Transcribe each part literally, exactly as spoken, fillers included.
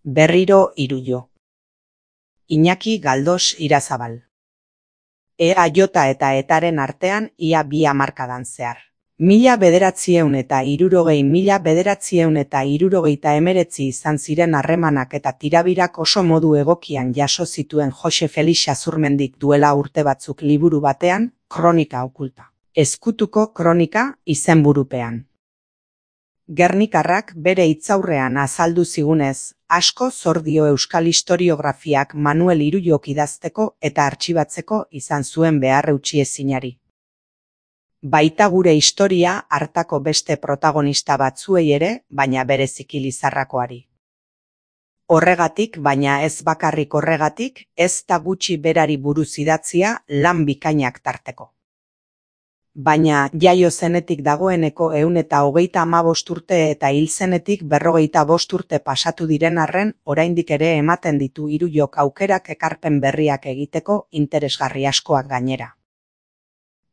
Berriro Irullo. Iñaki Galdos Irazabal. E A J eta Etaren artean ia bi hamarkadan zehar. Mila bederatzieun eta hirurogei mila bederatzieun eta hirurogeita hemeretzi izan ziren harremanak eta tirabirak oso modu egokian jaso zituen Jose Felix Azurmendik duela urte batzuk liburu batean, Kronika Okulta. Ezkutuko kronika izenburupean. Gernikarrak bere hitzaurrean azaldu zigunez, asko zor dio euskal historiografiak Manuel Irullok idazteko eta artxibatzeko izan zuen behar eutxiezinari. Baita gure historia hartako beste protagonista batzuei ere, baina bereziki Lizarrakoari. Horregatik, baina ez bakarrik horregatik, ez da gutxi berari buruz idatzia lan bikainak tarteko. Baina jaio zenetik dagoeneko ehun eta hogeita hamabost urte eta hil zenetik berrogeita bost urte pasatu diren arren, oraindik ere ematen ditu Irullok aukerak ekarpen berriak egiteko interesgarri askoak gainera.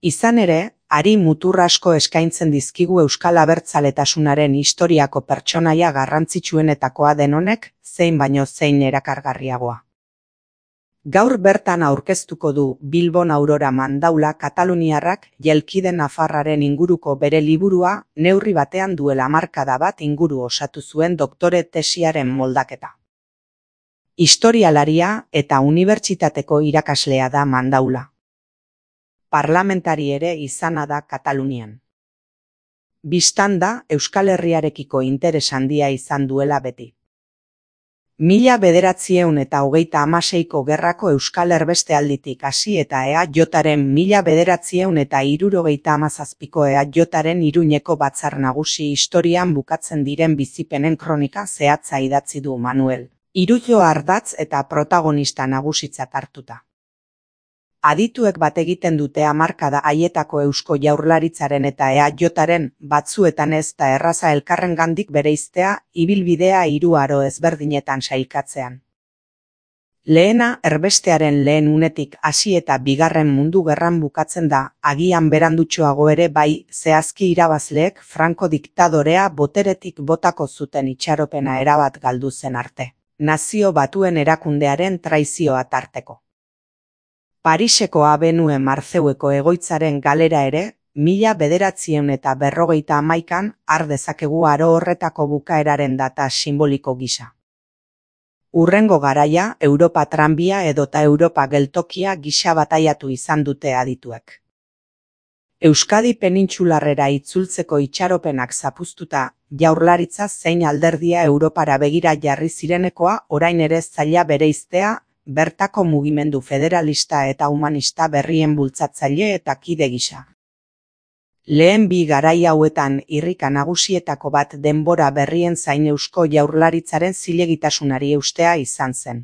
Izan ere, hari mutur asko eskaintzen dizkigu euskal abertzaletasunaren historiako pertsonaia garrantzitsuenetakoa den honek, zein baino zein erakargarriagoa. Gaur bertan aurkeztuko du Bilbon Aurora Mandaula kataluniarrak Jelkide Nafarraren inguruko bere liburua neurri batean duela hamarkada bat inguru osatu zuen doktore tesiaren moldaketa. Historialaria eta unibertsitateko irakaslea da Mandaula. Parlamentari ere izana da Katalunian. Bistan da Euskal Herriarekiko interes handia izan duela beti. Mila bederatzieun eta hogeita hamaseiko gerrako euskal erbestealditik hasi eta E A Jaren mila bederatzieun eta hirurogeita hamazazpiko E A Jaren Iruñeko batzar nagusi historian bukatzen diren bizipenen kronika zehatza idatzi du Manuel. Irullo ardatz eta protagonista nagusitzat hartuta. Adituek bat egiten dute hamarkada haietako Eusko Jaurlaritzaren eta E A Jaren batzuetan ez da erraza elkarrengandik bereiztea ibilbidea hiru aro ezberdinetan sailkatzean. Lehena erbestearen lehen unetik hasi eta bigarren mundu gerran bukatzen da, agian berandutxoago ere bai, zehazki irabazleek Franco diktadorea boteretik botako zuten itxaropena erabat galdu zen arte. Nazio Batuen erakundearen traizioa tarteko. Pariseko Abenue Marzeueko egoitzaren galera ere, mila bederatzieun eta berrogeita hamaikan har dezakegu aro horretako bukaeraren data simboliko gisa. Urrengo garaia, Europa tranbia edota Europa geltokia gisa bataiatu izan dute adituek. Euskadi penintsularrera itzultzeko itxaropenak zapuztuta, Jaurlaritza zein alderdia Europara begira jarri zirenekoa orain ere zaila bereiztea, bertako mugimendu federalista eta humanista berrien bultzatzaile eta kide gisa. Lehen bi garai hauetan irrika nagusietako bat denbora berrien zain Eusko Jaurlaritzaren zilegitasunari eustea izan zen.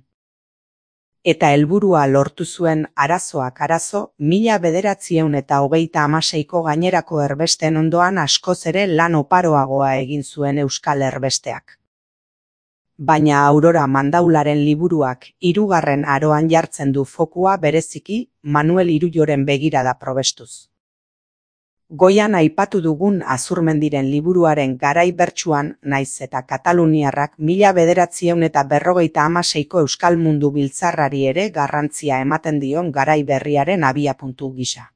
Eta helburua lortu zuen arazoak arazo, mila bederatzieun eta hogeita hamaseiko gainerako erbesten ondoan askoz ere lan oparoagoa egin zuen euskal erbesteak. Baina Aurora Mandaularen liburuak hirugarren aroan jartzen du fokua bereziki Manuel Irulloren begirada probestuz. Goian aipatu dugun Azurmendiren liburuaren garai bertsuan naiz eta kataluniarrak mila bederatzieun eta berrogeita hamaseiko euskal mundu biltzarrari ere garrantzia ematen dion garai berriaren abiapuntu gisa.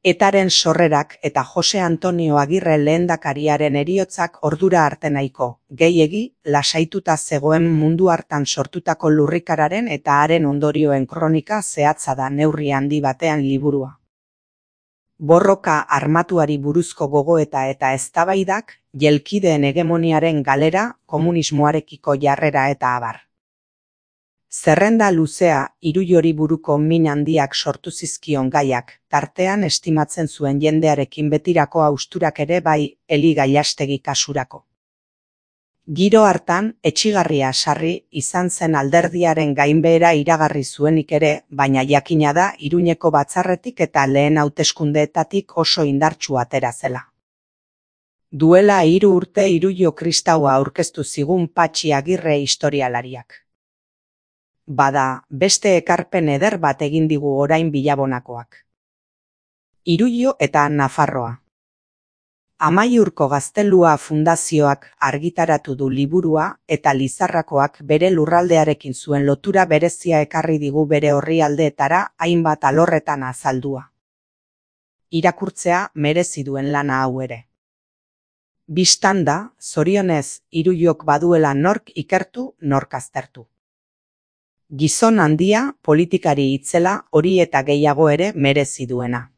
Etaren sorrerak eta Jose Antonio Agirre lehendakariaren heriotzak ordura arte nahiko, gehiegi, lasaituta zegoen mundu hartan sortutako lurrikararen eta haren ondorioen kronika zehatza da neurri handi batean liburua. Borroka armatuari buruzko gogoeta eta eztabaidak, jelkideen hegemoniaren galera, komunismoarekiko jarrera eta abar. Zerrenda luzea, Irullori buruko min handiak sortu zizkion gaiak, tartean estimatzen zuen jendearekin betirako hausturak ere bai, Eli Gailastegi kasurako. Giro hartan, etsigarria sarri izan zen alderdiaren gainbehera iragarri zuenik ere, baina jakina da Iruñeko batzarretik eta lehen hauteskundeetatik oso indartsu atera zela. Duela hiru urte Irullo kristaua aurkeztu zigun Patxi Agirre historialariak. Bada, beste ekarpen eder bat egin digu orain Bilabonakoak. Irullo eta Nafarroa. Amaiurko Gaztelua Fundazioak argitaratu du liburua eta Lizarrakoak bere lurraldearekin zuen lotura berezia ekarri digu bere orrialdeetara hainbat alorretan azaldua. Irakurtzea merezi duen lana hau ere. Bistanda, zorionez, Iruyok baduela nork ikertu, nork aztertu. Gizon handia, politikari itzela, hori eta gehiago ere merezi duena.